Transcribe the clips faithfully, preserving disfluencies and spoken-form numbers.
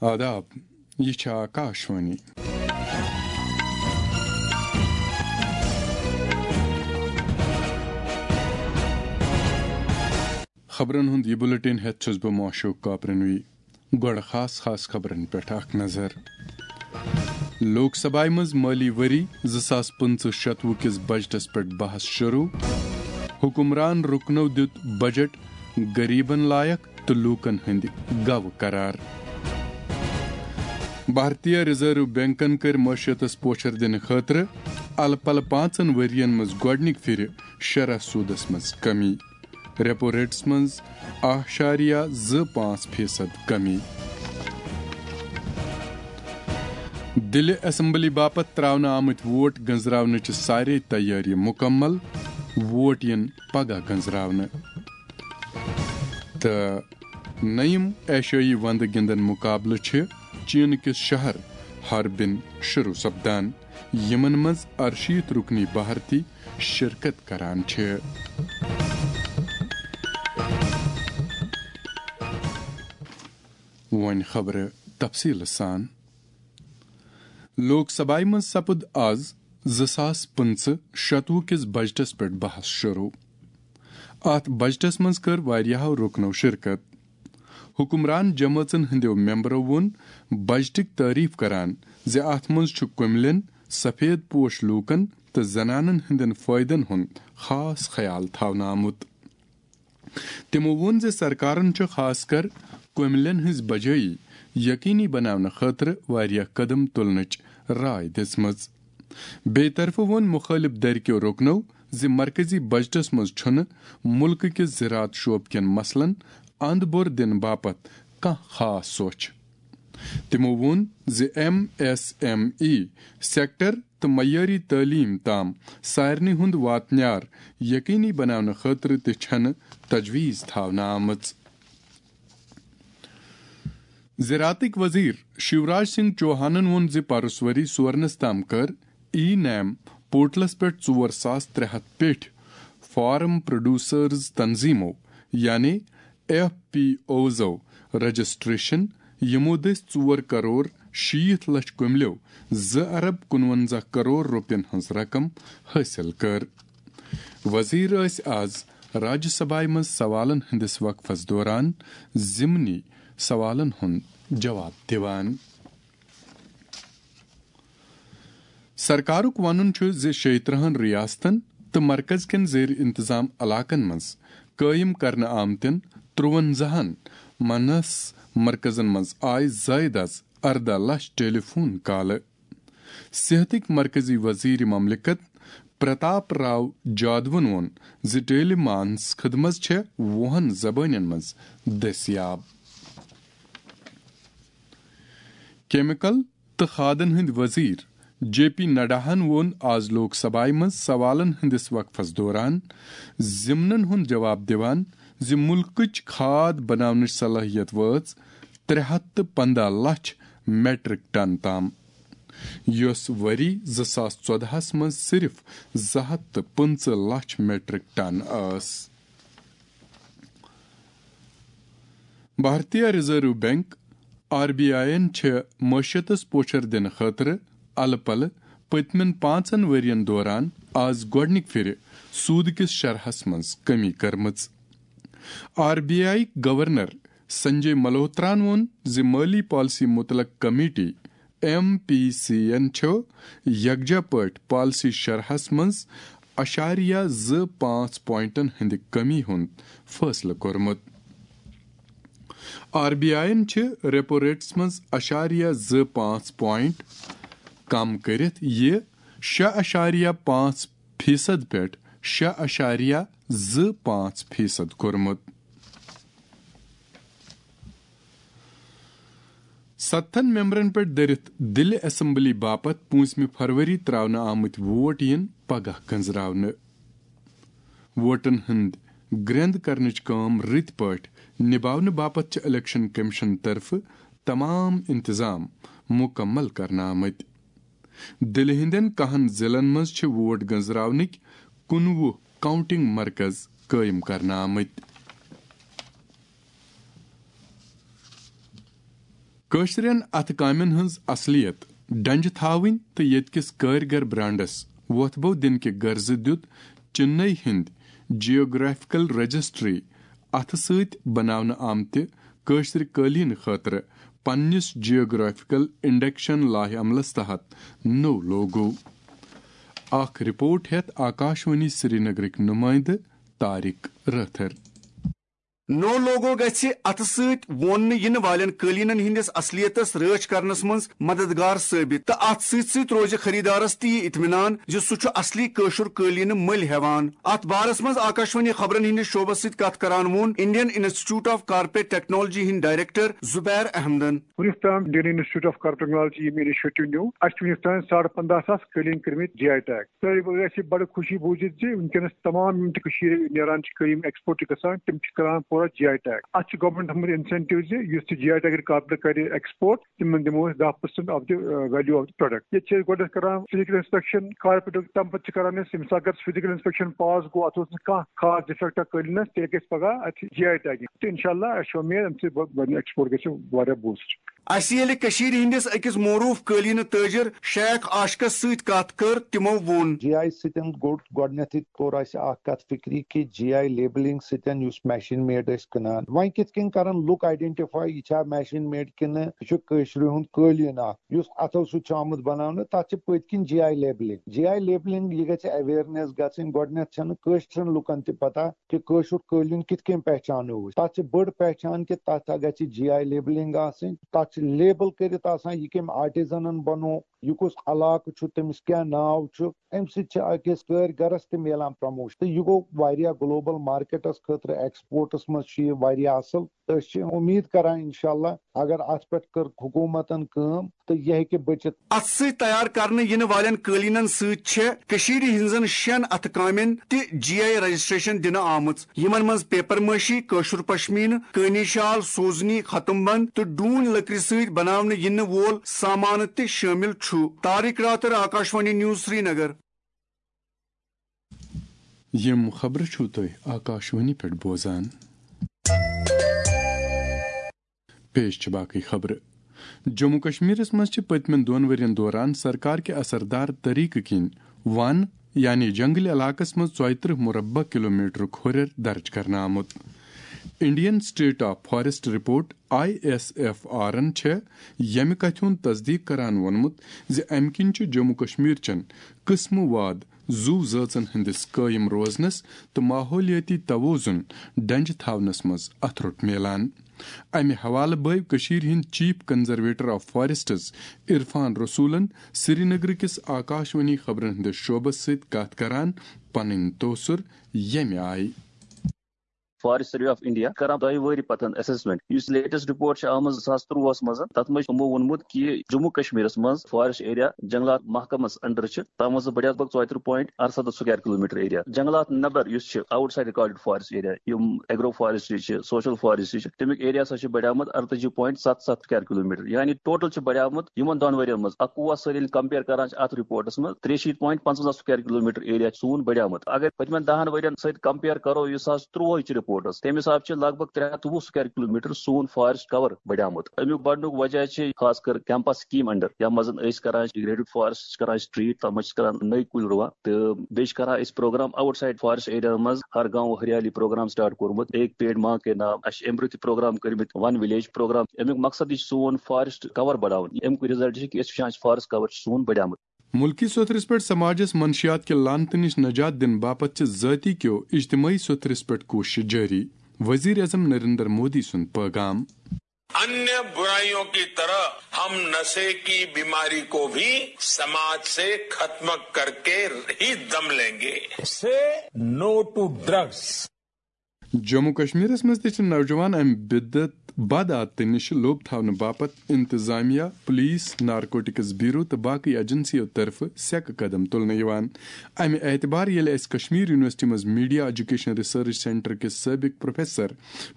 آداب، یہِ چھِ آکاشوانی۔ خبرن ہُنٛد یہِ بُلٹن ہٮ۪تھ چھُس بہٕ معشوق کاپرنوی۔ گۄڈٕ خاص خاص خبرن پٮ۪ٹھ اکھ نظر۔ لوک سبھایہِ منٛز مٲلی ؤری زٕ ساس پٕنٛژٕہ شتوُہ کِس بجٹس پٮ۪ٹھ بحث شروع۔ حکمران رُکنو دیُت بجٹ غریبن لایق تہٕ لوٗکن ہٕنٛدِ گوٕ قرار۔ بھارتیہ ریزرو بینکن کٔرۍ معیشتس پوچھر دِنہٕ خٲطرٕ الہٕ پلہٕ پانٛژن ؤرین منٛز گۄڈٕنِکۍ پھِرِ شرح سودس منٛز کمی۔ ریپو ریٹس منٛز اَکھ اَشاریہ زٕ پانٛژھ فیصد کمی۔ دِلہِ اسمبلی باپتھ تراونہٕ آمٕتۍ ووٹ گنزراونٕچہِ سارے تیٲری مُکمل۔ ووٹ یِن پگاہ گنزراونہٕ۔ تہٕ نٔیِم ایشیٲیی وندٕ گِنٛدن مُقابلہٕ چھِ چین کِس شہر ہاربِن شروع سپدان، یِمن منٛز ارشیٖتھ رُکنی بھارتی شرکت کران چھِ۔ وۄنۍ خبرٕ تفصیٖلہٕ سان۔ لوک سبھایہِ منٛز سپُد آز زٕ ساس پٕنٛژٕہ شتوُہ کِس بجٹس پٮ۪ٹھ بحث شروع۔ اتھ بجٹس منٛز کٔر واریاہو رُکنو شرکت۔ حکمران جمٲژن ہٕنٛدیو ممبرو ووٚن بجٹٕکۍ تعریف کران زِ اتھ منٛز چھُ کُملٮ۪ن، سفید پوش لوٗکن تہٕ زنانن ہٕنٛدٮ۪ن فٲیدن ہُنٛد خاص خیال تھاونہٕ آمُت۔ تِمو ووٚن زِ سرکارن چھُ خاص کر کُملٮ۪ن ہٕنٛز بجٲیی یقینی بناونہٕ خٲطرٕ واریاہ قدم تُلنٕچ راے دِژمٕژ۔ بیٚیہِ طرفہٕ ووٚن مُخٲلِف دھرِ کیو رُکنو زِ مرکزی بجٹس منٛز چھُنہٕ مُلکہٕ کِس زراعت شعبہٕ کٮ۪ن مسلن اند بور دِنہٕ باپتھ کانٛہہ خاص سوچھ۔ تِمو ووٚن زِ M S M E sector تہٕ معیٲری تعلیٖم تام سارنٕے ہُنٛد واتنیار یقینی بناونہٕ خٲطرٕ تہِ چھنہٕ تجویز تھاونہٕ آمٕژ۔ زراعتٕکۍ وزیر شیوراج سنگھ چوہانن ووٚن زِ پرُس ؤری سورنس تام کٔر ای نیم پورٹلس پٮ۪ٹھ ژور ساس ترٛےٚ ہتھ پیٹھۍ فارم پروڈیوسرز تنظیمو، یعنی ایف پی اوزو، رجسٹریشن، یِمو دٔسۍ ژور کرور شیٖتھ لچھ کُملیو زٕ ارب کُنونزہ کرور رۄپین ہٕنٛز رقم حٲصِل کٔر۔ وزیر ٲسۍ آز راجیہ سبھایہ منٛز سوالن ہٕنٛدِس وقفس دوران ضمنی سوالن ہُنٛد جواب دِوان۔ سرکارُک وَنُن چھُ زِ شیٚیہِ ترٕٛہن ریاستن تہٕ مرکز کٮ۪ن زیر انتظام علاقن منٛز قٲیِم کرنہٕ آمتٮ۪ن ترٛوَنزاہن منس مرکزن منٛز آیہِ زائد از اردہ لچھ ٹیلی فون کالہٕ۔ صحتٕکۍ مرکزی وزیر مملکت پرتاپ راو جادوَن ووٚن زِ ٹیلی مانس خدمت چھےٚ وُہن زبٲنٮ۪ن منٛز دٔستیاب۔ کیمیکل تہٕ کھادن ہٕنٛدۍ وزیر جے پی نڈاہن ووٚن آز لوک سبھایہ منٛز سوالن ہٕنٛدِس وقفس دوران ضمنن ہُنٛد جواب دِوان زِ مُلکٕچ کھاد بناونٕچ صلٲحیت وٲژ ترٛےٚ ہتھ تہٕ پنٛداہ لچھ میٹرک ٹن تام، یۄس ؤری زٕ ساس ژۄدہَس منٛز صرف زٕ ہتھ تہٕ پٕنٛژٕہ لچھ میٹرک ٹن ٲس۔ Bharatiya reserve bank, R B I یَن چھِ معیشتس پوچھر دِنہٕ خٲطرٕ الہٕ پلہٕ پٔتمٮ۪ن پانٛژن ؤرین دوران آز گۄڈٕنِکۍ پھِرِ سوٗد کِس شرحس منٛز کمی کٔرمٕژ۔ R B I governor Sanjay ملہوتران ووٚن زِ مٲلی پالیسی متعلق کمیٹی، ایم پی سی یَن چھُ یکجا پٲٹھۍ پالیسی شرحس منٛز اَشاریہ زٕ پانٛژھ پوائنٹن ہٕنٛدِ کمی ہُنٛد فٲصلہٕ کوٚرمُت۔ آر بی آئی یَن چھِ ریپو ریٹس منٛز اَشاریہ زٕ پانٛژھ پوائنٹ کم کٔرِتھ یہِ شےٚ اَشاریہ پانٛژھ فیصد پٮ۪ٹھ شےٚ اَشاریہ زٕ پانٛژھ فیصد کوٚرمُت۔ ستتھن ممبرن پٮ۪ٹھ دٔرِتھ دِلہِ اسمبلی باپتھ پوٗنٛژمہِ فروری تراونہٕ آمٕتۍ ووٹ یِن پگاہ گنزراونہٕ۔ ووٹن ہٕنٛدۍ گرٛٮ۪نٛد کرنٕچ کٲم رٕتۍ پٲٹھۍ نِباونہٕ باپتھ چھِ الیکشن کمیشن طرفہٕ تمام انتظام مُکمل کرنہٕ آمٕتۍ۔ دِلہِ ہٕنٛدٮ۪ن کاہن ضلعن منٛز چھِ ووٹ گنزراونٕکۍ کُنوُہ کاؤنٹنگ مرکز قٲیِم کرنہٕ آمٕتۍ۔ کٲشرٮ۪ن اَتھٕ کامٮ۪ن ہٕنٛز اصلیت ڈنجہِ تھاوٕنۍ تہٕ ییٚتہِ کِس کٲرۍگر برانڈس وۄتھبو دِنہٕ کہِ غرضہٕ دیُت چِننے ہٕنٛدۍ جیوگرافیکل رجسٹری اَتھٕ سۭتۍ بناونہٕ آمتہِ کٲشرِ قٲلیٖن خٲطرٕ پننِس جیوگرافیکل انڈیکشن لایحہ عملس تحت نوٚو لوگو۔ اکھ رپورٹ ہٮ۪تھ آکاشوانی سرینگرٕکۍ نُمٲیندٕ طارق رٲتھر۔ نوٚو لوگو گژھِ اَتھٕ سۭتۍ ووننہٕ یِنہٕ والٮ۪ن قٲلیٖنَن ہٕنٛدِس اصلیتَس رٲچھ کرنَس منٛز مددگار ثٲبت تہٕ اَتھ سۭتۍ سۭتۍ روزِ خریدارَس تہِ یہِ اطمینان زِ سُہ چھُ اصلی کٲشُر قٲلیٖنہٕ مٔلۍ ہٮ۪وان۔ اَتھ بارَس منٛز آکاشوانی خبرَن ہٕنٛدِس شعبَس سۭتۍ کَتھ کران ووٚن Indian institute of corporate technology ہٕنٛدۍ ڈائریکٹر زبیر احمدَن۔ وُنیُک تام Indian institute of corporate technology یِم انیشیٹو نیوٗ، اَسہِ چھِ وُنیُک تام ساڑٕ پنٛداہ ساس قٲلیٖن کٔرمٕتۍ جی آئی ٹیگ۔ سٲری گژھِ بڑٕ خوشی بوٗزِتھ زِ وٕنکیٚنَس تمام یِم تہِ کٔشیٖرِ نیران چھِ قٲلیٖن ایکسپورٹ چھِ گژھان، تِم چھِ کران پورٕ جی آئی ٹیگ۔ اَتھ چھِ گورنمنٹ تھوٚمُت انسینٹیو زِ یُس تہِ جی آئی ٹیگ کارپوریٹ کرِ ایکسپورٹ، تِمن دِمو أسۍ دَہ percent of the value of the product۔ ییٚتہِ چھِ أسۍ گۄڈٕنٮ۪تھ کران فزیکل انسپیکشن کارپوریٹُک، تَمہِ پَتہٕ چھِ کران أسۍ، ییٚمہِ ساتہٕ اگر فزیکل انسپیکشن پاس گوٚو، اَتھ اوس نہٕ کانٛہہ خاص ڈِفیکٹا قٲلیٖنَس، تیٚلہِ گژھِ پگاہ اَتہِ جی آئی ٹیگنگ۔ تہٕ انشاءاللہ اَسہِ چھِ اُمید اَمہِ سۭتۍ بَ-، بَنہِ ایکسپورٹ گژھِ واریاہ بوٗسٹ۔ اَسہِ ییٚلہِ کٔشیٖرِ ہٕنٛدِس أکِس معروٗف قٲلیٖنہٕ تٲجِر شیخ عاشقَس سۭتۍ کَتھ کٔر، تِمو ووٚن۔ جی آئی سۭتۍ گوٚو گۄڈٕنیتھٕے کوٚر اَسہِ اکھ کتھ فکری کہِ جی آئی لیبلنگ سۭتۍ یُس میشین میڈ ٲسۍ کٕنان، وۄنۍ کِتھ کٔنۍ کرن لُکھ آئیڈینٹیفائی یہِ چھا میشین میڈ کِنہٕ یہِ چھُ کٲشرِ ہُنٛد قٲلیٖن اکھ یُس اَتھو سۭتۍ چھُ آمُت بناونہٕ، تَتھ چھِ پٔتۍ کِنۍ G I labelling. G I labelling یہِ گژھِ اویئرنیس گژھٕنۍ۔ گۄڈٕنیتھ چھَنہٕ کٲشرٮ۪ن لُکن تہِ پتہ کہِ کٲشُر قٲلیٖن کِتھ کٔنۍ پہچانو أسۍ۔ تَتھ چھِ بٔڑ پہچان کہِ تَتھ گژھِ جی آئی لیبلنگ آسٕنۍ، تَتھ چھِ لیبل کٔرِتھ آسان یہِ کٔمۍ آرٹیزنن بنوو، یہِ کُس علاقہٕ چھُ، تٔمِس کیٛاہ ناو چھُ۔ اَمہِ سۭتۍ چھِ أکِس کٲرۍ گرس تہِ میلان پروموشن۔ تہٕ یہِ گوٚو واریاہ گلوبل مارکیٹس خٲطرٕ، ایکسپورٹس منٛز چھُ یہِ واریاہ اصل۔ تہٕ أسۍ چھِ اُمید کران انشاءاللہ اگر اتھ پٮ۪ٹھ کٔر حکوٗمتن کٲم تہٕ یہِ ہیٚکہِ بٔچِتھ۔ اتھ سۭتۍ تیار کرنہٕ یِنہٕ والٮ۪ن قٲلیٖنن سۭتۍ چھےٚ کٔشیٖرِ ہٕنٛزن شٮ۪ن اتھٕ کامٮ۪ن تہِ جی آئی رجسٹریشن دِنہٕ آمٕژ، یِمن منٛز پیپر مٲشی، کٲشُر پشمینہٕ، کٲنی شال، سوزنی، ختم بند تہٕ ڈوٗنۍ لٔکرِ سۭتۍ بناونہٕ یِنہٕ وول سامانہٕ تہِ شٲمِل چھُ۔ طارق راتر، آکاشوانی نیوز، سرینگر۔ یِم خبرٕ چھِو تُہۍ آکاشوانی پٮ۪ٹھ بوزان۔ پیش چھِ باقٕے خبرٕ۔ جموں کشمیرس منٛز چھِ پٔتمٮ۪ن دۄن ؤرین دوران سرکار کہِ اثردار طریقہٕ کِنۍ ون، یعنی جنگلی علاقس منٛز ژۄیہِ ترٕٛہ مربع کلومیٹرُک ہُرٮ۪ر درج کرنہٕ آمُت۔ Indian state of forest report, I S F آرن، چھےٚ ییٚمہِ کتھِ ہُنٛد تصدیق کران ووٚنمُت زِ امہِ کِنۍ چھُ جموں کشمیر چٮ۪ن قٕسمہٕ واد زُو زٲژن ہٕنٛدِس قٲیِم روزنس تہٕ ماحولیٲتی توازن ڈنجہِ تھاونس منٛز اتھرُٹ میلان۔ امہِ حوالہٕ بٲوۍ کٔشیٖرِ ہٕنٛدۍ chief conservator of forests Irfan رسولن سرینگرٕ کِس آکاشوانی خبرن ہٕنٛدِس شعبس سۭتۍ کتھ کران پنٕنۍ تٲثر ییٚمہِ آیہِ۔ فارسٹ سروے آف انڈیا کران دۄیہِ وٕہٕرۍ پتہٕ اسسمنٹ۔ یُس لیٹسٹ رپورٹ چھِ آمٕژ زٕ ساس ترٛۆہَس منٛز، تتھ منٛز چھُ یِمو ووٚنمُت کہِ جموں کشمیرس منٛز فارسٹ ایریا جنگلات محکمس انڈر چھِ، تتھ منٛز بڑیومُت ژۄیہِ ترٕٛہ point اَرسَتَتھ square kilometre area۔ جنگلات نٮ۪بر یُس چھِ out side recorded forest area, یِم ایگرو فارسٹری چھِ، سوشل فارسٹری چھِ، تمیُک ایریا ہسا چھُ بڑیومُت اَرتٲجی point ستھ ستھ square kilometre، یعنی ٹوٹل چھُ بڑیومُت یِمن دۄن ؤرین منٛز اکوُہ سۭتۍ ییٚلہِ کمپیئر کران چھِ اتھ رپورٹس منٛز، ترٛےٚ شیٖتھ point پنٛژوَنزاہ square kilometre area چھُ سون بڑیومُت۔ اگر پٔتمٮ۪ن دَہَن ؤرین سۭتۍ کمپیئر کرو، یُس حظ ترٛۆہٕچ رپورٹ ٲس، تَمہِ حساب چھِ لگ بگ ترٛےٚ ہَتھ تہٕ وُہ square kilometre سون فارسٹ کور بڑیومُت۔ اَمیُک بڑنُک وجہ چھِ خاص کر کیمپا سکیٖم انڈر، یَتھ منٛز أسۍ کران چھِ ریڈوڈ فارسٹ چھِ کران أسۍ ٹریٹ، تَتھ منٛز چھِ کران نٔے کُلۍ رُوان، تہٕ بیٚیہِ چھِ کران أسۍ programme outside forest area منٛز، ہر گاؤں ہریالی پروگرام سٹارٹ کوٚرمُت، ایک پیڑ ماں کے نام۔ اَسہِ چھِ اَمہِ برٛونٛہہ تہِ پروگرام کٔرمٕتۍ ون ولیج پروگرام۔ اَمیُک مقصد یہِ چھُ سون فارسٹ کور بڑاوُن۔ اَمیُک رزلٹ چھُ کہِ أسۍ وٕچھان چھِ فارسٹ کور چھُ سون بڑیومُت۔ ملکی سوٚتھرس پٮ۪ٹھ سماجس منشیات کہِ لعنتہٕ نِش نجات دِنہٕ باپتھ چھِ ذٲتی کیو اجتمٲعی سوٚتھرس پٮ۪ٹھ کوٗشش جٲری۔ وزیر اعظم نریندر مودی سُنٛد پٲغام۔ अन्य बुराइयों की तरह हम नशे की बीमारी को भी समाज से खत्म करके ही दम लेंगे। Say no to drugs. Jammu کشمیرس منٛز تہِ چھِ نوجوان امہِ بدعت، بد عادتہٕ نِش لوٚب تھاونہٕ باپتھ انتظامیہ، پولیس، نارکوٹکس بیورو تہٕ باقٕے ایجنسیو طرفہٕ سیٚکہٕ قدم تُلنہٕ یِوان۔ امہِ اعتبار ییٚلہِ اسہِ کشمیر یونیورسٹی منٛز میڈیا ایجوکیشن ریسرچ سینٹر کِس سٲبق پروفیسر،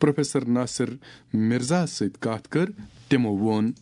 پروفیسر ناصر مرزاہس سۭتۍ کتھ کٔر، تِمو ووٚن۔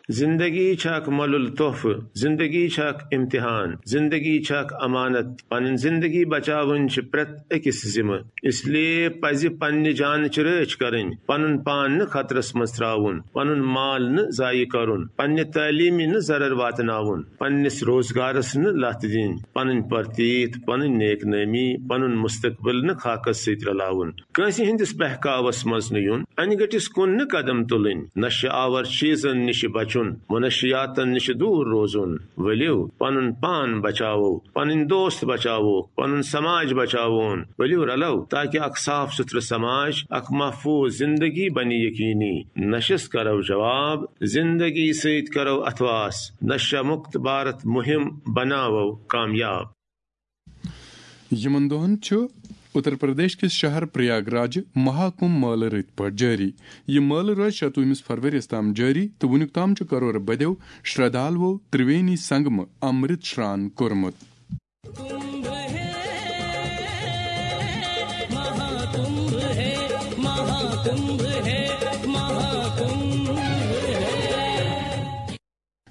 زندگی چھےٚ اکھ مۄلُل تحفہٕ، زندگی چھےٚ اکھ امتحان، زندگی چھےٚ اکھ امانت۔ پنٕنۍ زندگی بچاوٕنۍ چھِ پرٛٮ۪تھ أکِس ذمہٕ۔ اس لیے پزِ پننہِ جانٕچ رٲچھ کرٕنۍ، پنُن پان نہٕ خطرس منٛز ترٛاوُن، پنُن مال نہٕ ضایع کرُن، پننہِ تعلیٖمہِ نہٕ ضرر واتناوُن، پننِس روزگارس نہٕ لتھ دِنۍ، پنٕنۍ پرتیت، پنٕنۍ نیک نٲمی، پنُن مستقبل نہٕ خاکس سۭتۍ رلاوُن۔ کٲنٛسہِ ہٕنٛدِس بہکاوس منٛز نہٕ یُن، انہِ گٔٹِس کُن نہٕ قدم تُلٕنۍ، نشہٕ آور چیٖزن نِش بچُن، منشیاتن نِش دوٗر روزُن۔ ؤلِو، پنُن پان بچاوو، پنٕنۍ دوست بچاووکھ، پنُن سماج بچاوون۔ ؤلِو رلو، تاکہ اکھ صاف سُتھرٕ سماج، اکھ محفوظ زندگی بنہِ یقینی۔ نشس کرو جواب، زندگی سۭتۍ کرو اتھواس، نشہ مکت بھارت مہم بناوو کامیاب۔ یِمن دۄہن چھُ اتر پردیش کِس شہر پریاگ راجہِ مہا کمبھ مٲلہٕ رٕتۍ پٲٹھۍ جٲری۔ یہِ مٲلہٕ روزِ شتوُہمِس فروریَس تام جٲری تہٕ وُنیُک تام چھُ کرور بدیو شردھالوو ترٛوینی سنگمہٕ امرت شران کوٚرمُت۔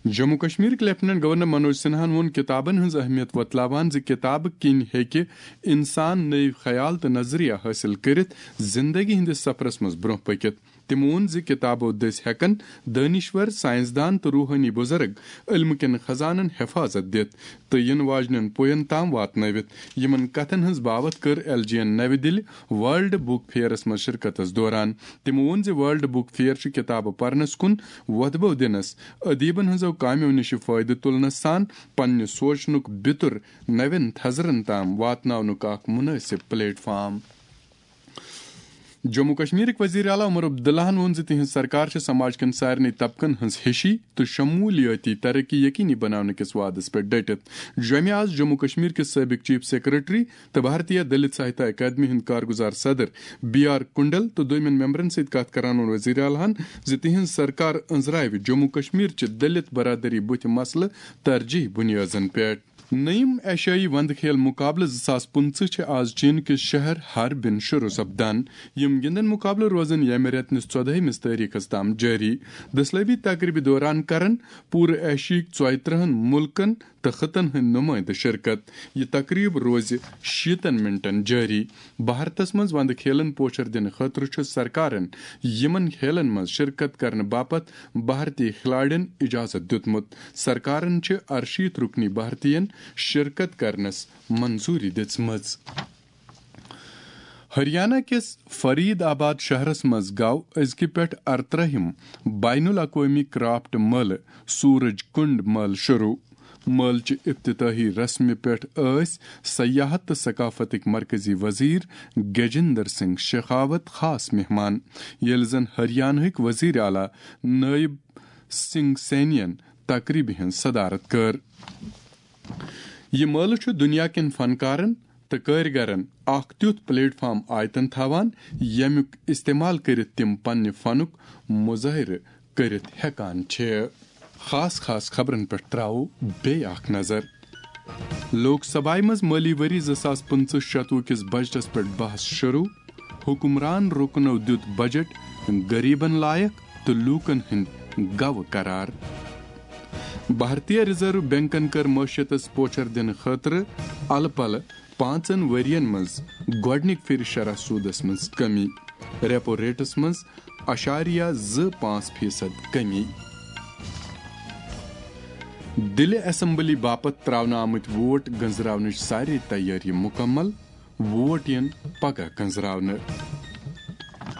جموں کشمیرٕکۍ لیفٹیننٹ گورنر منوج سنہاہن ووٚن کتابن ہٕنٛز اہمیت وۄتلاوان زِ کتابہٕ کِنۍ ہیٚکہِ انسان نٔوۍ خیال تہٕ نظریہ حٲصِل کٔرِتھ زندگی ہٕنٛدِس سفرس منٛز برٛونٛہہ پٔکِتھ۔ تٔمۍ ووٚن زِ کتابو دٔسۍ ہٮ۪کن دٲنِشور، ساینسدان تہٕ روحٲنی بُزرگ علمہٕ کٮ۪ن خزانن حفاظت دِتھ تہٕ یِنہٕ واجنٮ۪ن پوین تام واتنٲوِتھ۔ یِمن کتھن ہٕنٛز باوتھ کٔر ایل جی این نوِ دِلہِ ورلڈ بُک فیئرس منٛز شرکتس دوران۔ تٔمۍ ووٚن زِ ورلڈ بُک فیئر چھُ کتابہٕ پرنس کُن وۄتھٕ بو دِنس، ادیبن ہٕنٛزو کامیو نِش فٲیدٕ تُلنس سان پننہِ سوچنُک بِتُر نوٮ۪ن تھزرن تام واتناونُک اکھ مناسب پلیٹ فارم۔ جموں کشمیرٕکۍ وزیر اعلیٰ عمر عبداللہن ووٚن زِ تِہنٛز سرکار چھِ سماج کٮ۪ن سارنٕے طبقن ہٕنٛز ہِشی تہٕ شمولیٲتی ترقی یقینی بناونہٕ کِس وعدس پٮ۪ٹھ ڈٔٹِتھ۔ جوٚمہِ آز جموں کشمیر کِس سٲبق چیف سیکرٹری تہٕ بھارتیہ دلت ساہتیہ اکیڈمی ہُنٛد کارگزار صدر بی آر کنڈل تہٕ دوٚیمٮ۪ن ممبرن سۭتۍ کتھ کران ووٚن وزیر اعلیٰ ہن زِ تِہنٛز سرکار أنٛزراوِ جموں کشمیر چہِ دلت برادری بُتھِ مسلہٕ ترجیح بُنیٲدن پٮ۪ٹھ۔ نٔیِم ایشیائی وندٕ کھیل مقابلہٕ زٕ ساس پٕنٛژٕہ چھِ آز چین کِس شہر ہاربِن شروع سپدان۔ یِم گِنٛدن مقابلہٕ روزن ییٚمہِ رٮ۪تہٕ نِس ژۄدہٲیمِس تٲریخس تام جٲری۔ دٔسلٲبی تقریبہِ دوران کرن پوٗرٕ ایشیاہٕکۍ ژۄیہِ ترٕٛہن مُلکن تہٕ خطن ہٕنٛدۍ نُمٲیندٕ شرکت۔ یہِ تقریب روزِ شیٖتن منٹن جٲری۔ بھارتس منٛز وندٕ کھیلن پوچھر دِنہٕ خٲطرٕ چھُ سرکارن یِمن کھیلن منٛز شرکت کرنہٕ باپتھ بھارتی کھلاڑٮ۪ن اجازت دیُتمُت۔ سرکارن چھِ ارشیٖتھ رُکنی بھارتین شرکت کرنس منظوری دِژمٕژ۔ ہریانہ کِس فرید آباد شہرس منٛز گوٚو أزکہِ پٮ۪ٹھ ارترٛہِم بین الاقوٲمی کرافٹ مٲلہٕ سورج کنڈ مٲلہٕ شروع۔ مٲلہٕ چہِ افتتاحی رسمہِ پٮ۪ٹھ ٲسۍ سیاحت تہٕ ثقافتٕکۍ مرکزی وزیر گجندر سنگھ شیخاوت خاص مہمان، ییٚلہِ زن ہریانہٕکۍ وزیر اعلیٰ نائب سنگھ سینین تقریبہِ ہٕنٛز صدارت کٔر۔ یہِ مٲلہٕ چھُ دُنیا کٮ۪ن فنکارن تہٕ کٲرۍگرن اکھ تیُتھ پلیٹ فارم آیتن تھاوان، ییٚمیُک استعمال کٔرِتھ تِم پننہِ فنُک مظٲہرٕ کٔرِتھ ہٮ۪کان چھِ۔ خاص خاص خبرن پٮ۪ٹھ تراوو بیٚیہِ اکھ نظر۔ لوک سبھایہ منٛز مٲلی ؤری زٕ ساس پٕنٛژٕہ شتوُہ کِس بجٹس پٮ۪ٹھ بحث شروع۔ حکمران رُکنو دیُت بجٹ غریبن لایق تہٕ لوٗکن ہٕنٛدۍ گوٚو قرار۔ بھارتیہ ریزرو بینکن کٔر معیشتس پوچھر دِنہٕ خٲطرٕ الہٕ پلہٕ پانٛژن ؤرین منٛز گۄڈٕنِکۍ پھِرِ شرح سوٗدس منٛز کمی، ریپو ریٹس منٛز اعشاریہ زٕ پانٛژھ فیصد کمی۔ دِلہِ اسمبلی باپتھ تراونہٕ آمٕتۍ ووٹ گنزراونٕچ سارے تیٲری مُکمل، ووٹ یِن پگاہ گنزراونہٕ۔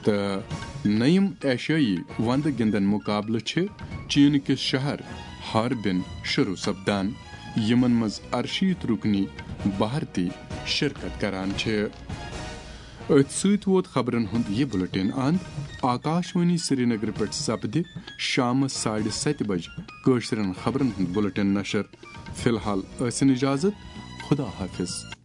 تہٕ نٔیِم ایشیٲیی وندٕ گِنٛدن مُقابلہٕ چھِ چین کِس شہر ہاربِن شروع سپدان، یِمن منٛز ارشیٖتھ رُکنی بھارتی شرکت کران چھِ۔ أتھۍ سۭتۍ ووت خبرن ہُنٛد یہِ بُلٹن اند۔ آکاش وانی سرینگر پٮ۪ٹھ سپدِ شامس ساڑِ ستہِ بجہِ کٲشرٮ۪ن خبرن ہُنٛد بُلٹن نشر۔ فی الحال ٲسِن اجازت، خدا حافظ۔